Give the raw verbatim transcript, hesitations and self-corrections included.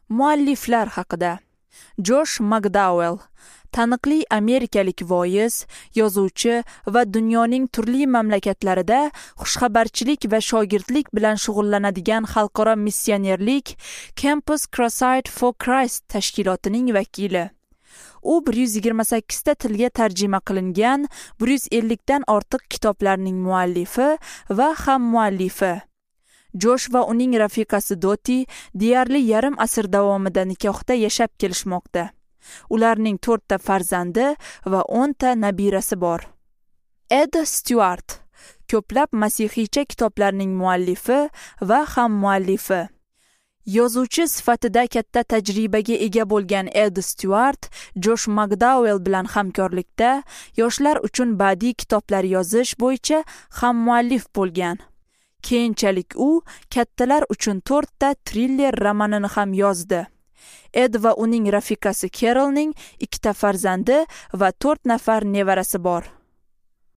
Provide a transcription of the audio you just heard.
Mualliflar haqida. Josh McDowell, taniqli amerikalik voiz, yozuvchi va dunyoning turli mamlakatlarida xushxabarchilik va shogirdlik bilan shug'ullanadigan xalqaro missionerlik Campus Crusade for Christ tashkilotining vakili. U bir yuz yigirma sakkiz ta tilga tarjima qilingan bir yuz ellik dan ortiq kitoblarning muallifi va hammuallifi. Josh va uning rafiqasi Doti deyarli yarim asr davomida nikohda yashab kelishmoqda. Ularning to'rtta farzandi va o'nta nabirasi bor. Ed Stewart, ko'plab masihiycha kitoblarning muallifi va hammuallifi. Yozuvchi sifatida katta tajribaga ega bo'lgan Ed Stewart Josh McDowell bilan hamkorlikda yoshlar uchun badiiy kitoblar yozish bo'yicha hammuallif bo'lgan. Keyinchalik u kattalar uchun to'rtta triller romanini ham yozdi. Ed va uning rafiqasi Carolning ikkita farzandi va to'rt nafar nevarasi bor.